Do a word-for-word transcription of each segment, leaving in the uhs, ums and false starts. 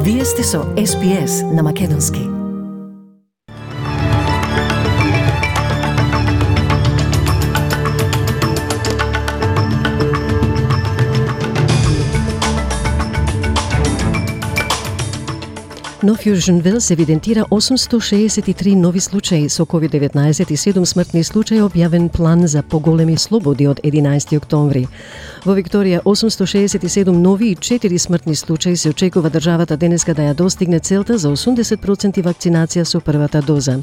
Вие сте со Ес Би Ес на Македонски. Нов Јужен Велс евидентира осумсто шеесет и три нови случаи со ковид деветнаесет и седум смртни случаи, објавен план за поголеми слободи од единаесети октомври. Во Викторија осумсто шеесет и седум нови и четири смртни случаи се очекува државата денеска да ја достигне целта за осумдесет проценти вакцинација со првата доза.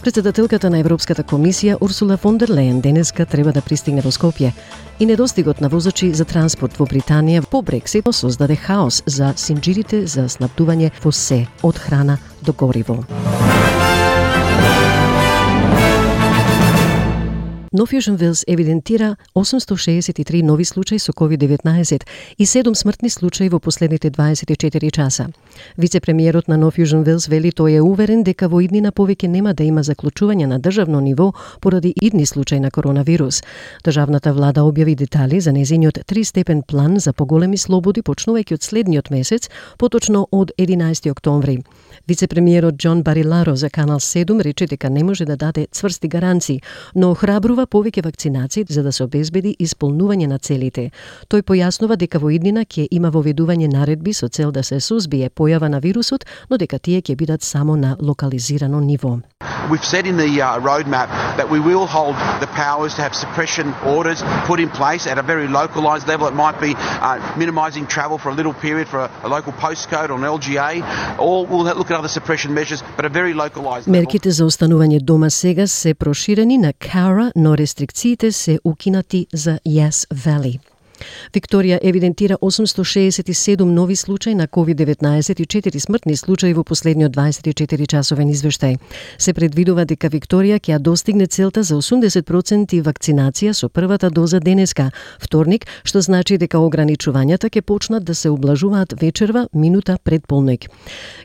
Претседателката на Европската комисија Урсула фон дер Лејен денеска треба да пристигне во Скопје и недостигот на возачи за транспорт во Британија по Брексит создаде хаос за синџирите за снабдување во се од храна до гориво. Нов Јужен Велс евидентира осумсто шеесет и три нови случаи со ковид деветнаесет и седум смртни случаи во последните дваесет и четири часа. Вице-премиерот на Нов Јужен Велс вели тој е уверен дека во иднина повеќе нема да има заклучување на државно ниво поради идни случаи на коронавирус. Државната влада објави детали за нејзиниот тристепен план за поголеми слободи почнувајќи од следниот месец, поточно од единаесети октомври. Вице-премиерот Џон Бариларо за Канал седум рече дека не може да даде цврсти гаранции, но охрабрува повеќе вакцинации за да се обезбеди исполнување на целите. Тој појаснува дека во иднина ќе има воведување наредби со цел да се сузбие појава на вирусот, но дека тие ќе бидат само на локализирано ниво. We've said in the uh, roadmap that we will hold the powers to have suppression orders put in place at a very localised level. It might be uh, minimising travel for a little period for a, a local postcode or an L G A, or we'll look at other suppression measures, but a very localised level. Мерките за останување дома сега се проширени на Cowra, но рестрикциите се укинати за Yass Valley. Викторија евидентира осумсто шеесет и седум нови случаи на ковид деветнаесет и четири смртни случаи во последниот дваесет и четири часовен извештај. Се предвидува дека Викторија ќе ја достигне целта за осумдесет проценти вакцинација со првата доза денеска, вторник, што значи дека ограничувањата ќе почнат да се ублажуваат вечерва, минута пред полноќ.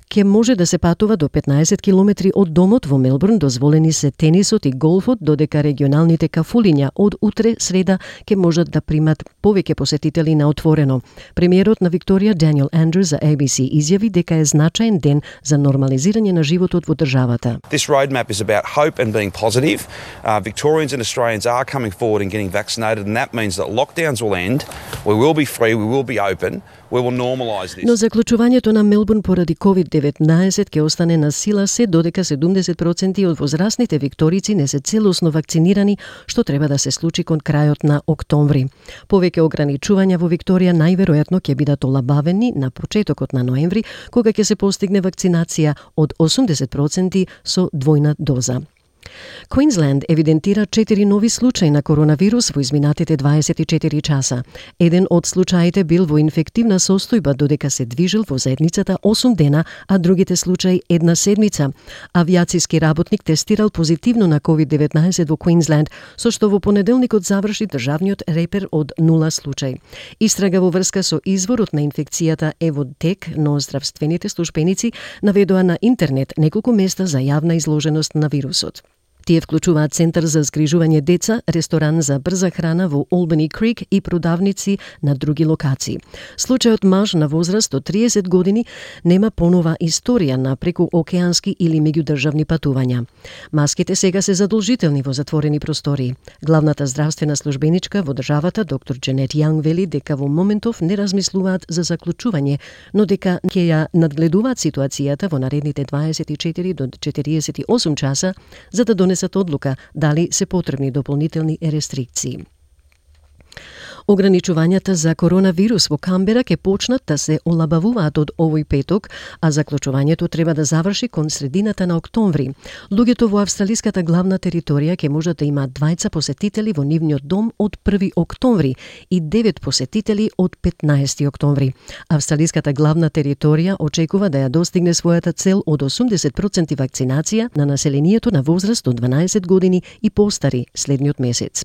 Ке може да се патува до петнаесет километри од домот во Мелбурн, дозволени се тенисот и голфот, додека регионалните кафулиња од утре среда ќе можат да примат повеќе посетители на отворено. Премиерот на Викторија Даниел Андрюс за A B C изјави дека е значаен ден за нормализирање на животот во државата. This roadmap is about hope and being positive. Uh, Victorians and Australians are coming forward and getting vaccinated, and that means that lockdowns will end. We will be free, we will be open. We will normalise this. Но заклучувањето на Мелбурн поради ковид деветнаесет ќе остане на сила се додека седумдесет проценти од возрастните викторици не се целосно вакцинирани, што треба да се случи кон крајот на октомври. Повеќе ограничувања во Викторија најверојатно ќе бидат олабавени на почетокот на ноември, кога ќе се постигне вакцинација од осумдесет проценти со двојна доза. Квинсленд евидентира четири нови случаи на коронавирус во изминатите дваесет и четири часа. Еден од случаите бил во инфективна состојба додека се движел во заедницата осум дена, а другите случаи една седмица. Авиациски работник тестирал позитивно на ковид деветнаесет во Квинсленд, со што во понеделникот заврши државниот репер од нула случаи. Истрага во врска со изворот на инфекцијата е во тек, но здравствените службеници наведоа на интернет неколку места за јавна изложеност на вирусот. Тие вклучуваат центар за згрижување деца, ресторан за брза храна во Олбани Крик и продавници на други локации. Случајот маж на возраст од триесет години нема понова историја на прекуокеански или меѓудржавни патувања. Маските сега се задолжителни во затворени простории. Главната здравствена службеничка во државата, доктор Джанет Јанг, вели дека во моментов не размислуваат за заклучување, но дека ќе ја надгледуваат ситуацијата во наредните дваесет и четири до четириесет и осум часа за да донесат одлука дали се потребни дополнителни рестрикции. Ограничувањата за коронавирус во Камбера ќе почнат да се олабавуваат од овој петок, а заклучувањето треба да заврши кон средината на октомври. Луѓето во австралиската главна територија ќе можат да имаат двајца посетители во нивниот дом од први октомври и девет посетители од петнаесети октомври. Австралиската главна територија очекува да ја достигне својата цел од осумдесет проценти вакцинација на населението на возраст од дванаесет години и постари следниот месец.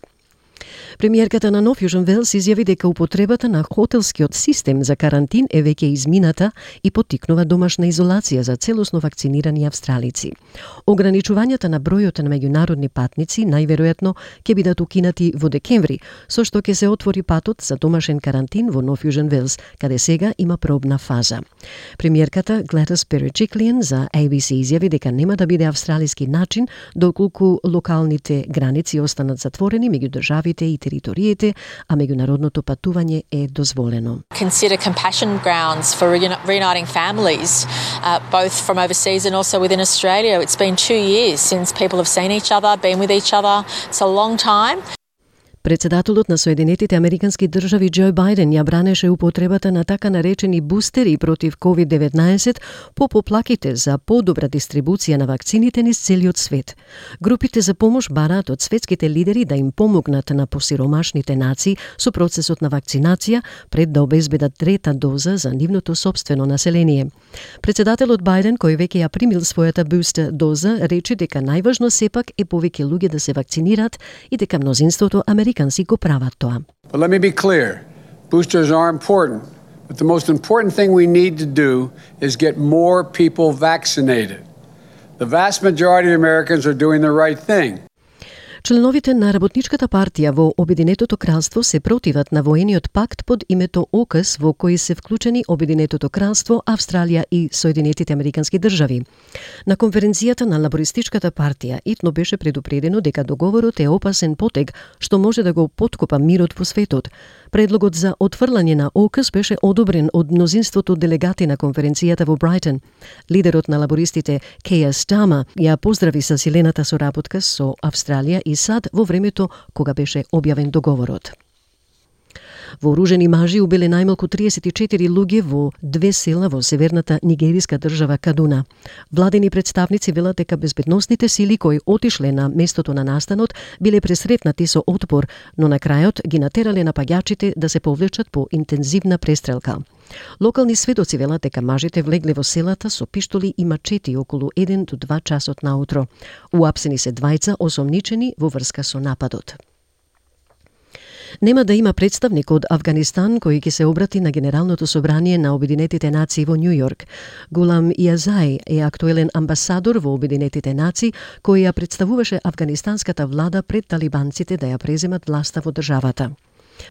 Премиерката на Нов Јужен Велс изјави дека употребата на хотелскиот систем за карантин е веќе измината и поттикнува домашна изолација за целосно вакцинирани австралици. Ограничувањата на бројот на меѓународни патници најверојатно ќе бидат укинати во декември, со што ќе се отвори патот за домашен карантин во Нов Јужен Велс, каде сега има пробна фаза. Премиерката Гледис Береджиклиан за A B C изјави дека нема да биде австралиски начин доколку локалните граници останат затворени меѓу државите и териториите, а меѓународното патување е дозволено. Consider compassion grounds for reuniting families, uh, both from overseas and also within Australia. It's been two years since people have seen each other, been with each other. It's a long time. Председателот на Соединетите Американски држави Џо Бајден ја бранеше употребата на така наречени бустери против ковид деветнаесет по поплаките за подобра дистрибуција на вакцините низ целиот свет. Групите за помош бараат од светските лидери да им помогнат на посиромашните нации со процесот на вакцинација пред да обезбедат трета доза за нивното сопствено население. Председателот Бајден, кој веќе ја примил својата бустер доза, рече дека најважно сепак е повеќе луѓе да се вакцинираат и дека мнозинството американци го прават тоа. But let me be clear. Boosters are important, but the most important thing we need to do is get more people vaccinated. The vast majority of Americans are doing the right thing. Членовите на Работничката партија во Обединетото кралство се противат на воениот пакт под името ОКС во кој се вклучени Обединетото кралство, Австралија и Соединетите Американски држави. На конференцијата на Лабористичката партија итно беше предупредено дека договорот е опасен потег што може да го поткопа мирот во светот. Предлогот за отфрлање на ОКС беше одобрен од мнозинството делегати на конференцијата во Брайтон. Лидерот на лабористите Кеја Стама ја поздрави со силената соработка со Австралија и САД во времето кога беше објавен договорот. Вооружени мажи убиле најмалку триесет и четири луѓе во две села во северната нигериска држава Кадуна. Владени представници велат дека безбедносните сили кои отишле на местото на настанот биле пресретнати со отпор, но на крајот ги натерале напаѓачите да се повлечат по интензивна престрелка. Локални сведоци велат дека мажите влегле во селата со пиштоли и мачети околу еден до два часот наутро. Уапсени се двајца осомничени во врска со нападот. Нема да има представник од Авганистан кој ќе се обрати на Генералното собрание на Обединетите нации во Њу Јорк. Гулам Јазај е актуелен амбасадор во Обединетите нации кој ја представуваше афганистанската влада пред талибанците да ја преземат власта во државата.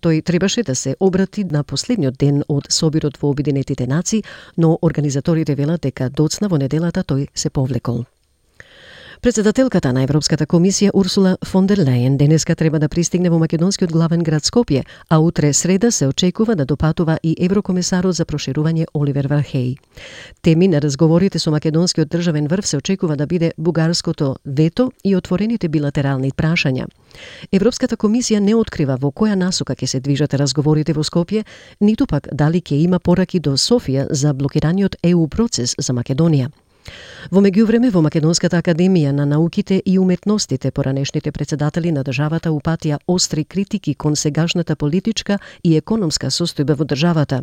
Тој требаше да се обрати на последниот ден од собирот во Обединетите нации, но организаторите велат дека доцна во неделата тој се повлекол. Председателката на Европската комисија Урсула фон дер Лејен денеска треба да пристигне во македонскиот главен град Скопје, а утре среда се очекува да допатува и еврокомесарот за проширување Оливер Вархеј. Теми на разговорите со македонскиот државен врв се очекува да биде бугарското вето и отворените билатерални прашања. Европската комисија не открива во која насока ќе се движат разговорите во Скопје, ниту пак дали ќе има пораки до Софија за блокираниот Е У процес за Македонија. Во меѓувреме, во Македонската академија на науките и уметностите поранешните председатели на државата упатија остри критики кон сегашната политичка и економска состојба во државата.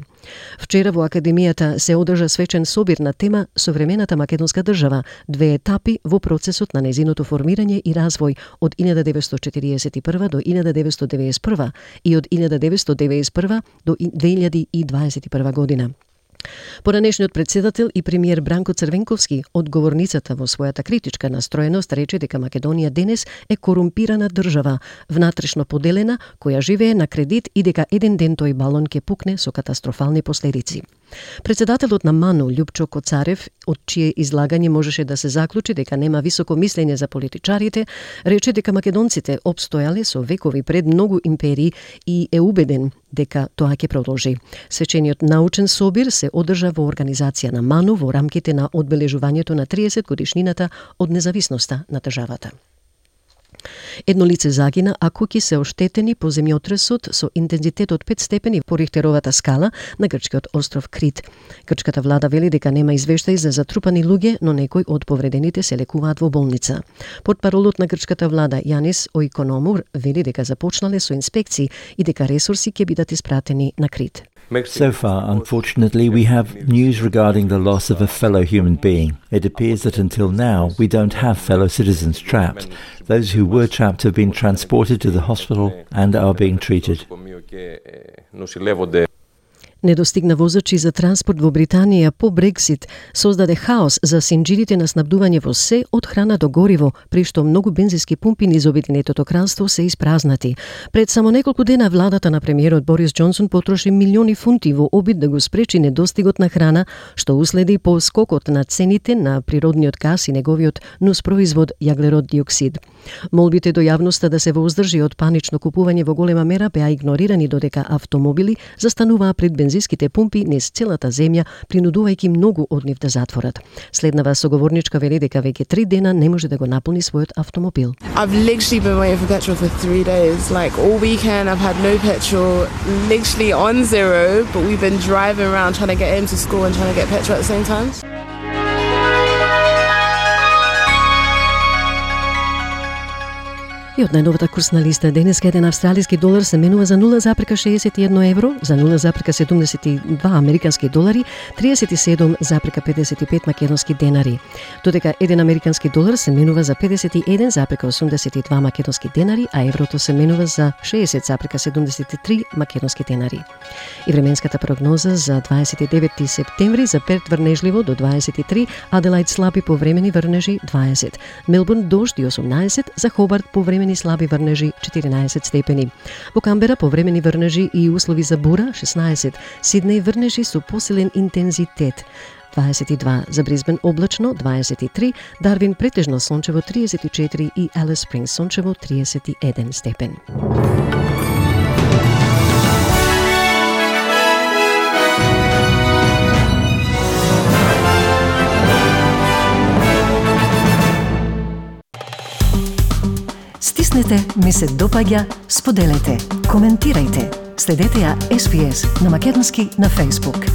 Вчера во академијата се одржа свечен собир на тема Современата македонска држава, две етапи во процесот на незиното формирање и развој од илјада деветстотини четириесет и прва до илјада деветстотини девеесет и прва и од илјада деветстотини девеесет и прва до две илјади и дваесет и прва година. Поранешниот председател и премиер Бранко Црвенковски од говорницата во својата критичка настроеност рече дека Македонија денес е корумпирана држава, внатрешно поделена, која живее на кредит и дека еден ден тој балон ќе пукне со катастрофални последици. Председателот на МАНУ Љупчо Коцарев, од чие излагање можеше да се заклучи дека нема високо мислење за политичарите, рече дека македонците обстојале со векови пред многу империи и е убеден дека тоа ќе продолжи. Свечениот научен собир се одржа во организација на МАНУ во рамките на одбележувањето на триесет годишнината од независноста на државата. Едно лице загина, а куќи се оштетени по земјотресот со интензитет од пет степени по Рихтеровата скала на грчкиот остров Крит. Грчката влада вели дека нема извештаи за затрупани луѓе, но некои од повредените се лекуваат во болница. Портпаролот на грчката влада Јанис Оикономур вели дека започнале со инспекции и дека ресурси ќе бидат испратени на Крит. So far, unfortunately, we have news regarding the loss of a fellow human being. It appears that until now, we don't have fellow citizens trapped. Those who were trapped have been transported to the hospital and are being treated. Недостигна возачи за транспорт во Британија по Брексит создаде хаос за синџирите на снабдување во се од храна до гориво, при што многу бензински пумпи низ Обединетото кралство се испразнати. Пред само неколку дена владата на премиерот Борис Џонсон потроши милиони фунти во обид да го спречи недостигот на храна, што уследи по скокот на цените на природниот газ и неговиот нуспроизвод јаглерод диоксид. Молбите до јавноста да се вооздржи од панично купување во голема мера беа игнорирани, додека автомобили застануваа пред бензинските пумпи низ целата земја, принудувајќи многу од нив да затворат. Следнава соговорничка вели дека веќе три дена не може да го наполни својот автомобил. I've literally been waiting for petrol for three days. Like all weekend I've had no petrol, literally on zero, but we've been driving around trying to get him to school and trying to get petrol at the same time. И од најновата курсна листа денеска еден австралиски долар се менува за нула запрека шеесет и едно евро, за нула запрека седумдесет и два американски долари, триесет и седум запрека педесет и пет македонски денари. Додека еден американски долар се менува за педесет и еден запрека осумдесет и два македонски денари, а еврото се менува за шеесет запрека седумдесет и три македонски денари. И временската прогноза за дваесет и деветти септември за Перт врнежливо до дваесет и три, Аделаид слаби повремени врнежи дваесет, Мелбурн дожди осумнаесет, за Хобарт повремени слаби врнежи четиринаесет степени. Во Камбера повремени врнежи и услови за бура шеснаесет, Сиднеј врнежи со посилен интензитет дваесет и два, за Брисбен облачно дваесет и три, Дарвин претежно сончево триесет и четири и Алис Спрингс сончево триесет и еден степен. Стиснете, ми се допаѓа, споделете, коментирајте. Следете ја Ес Би Ес на македонски на Facebook.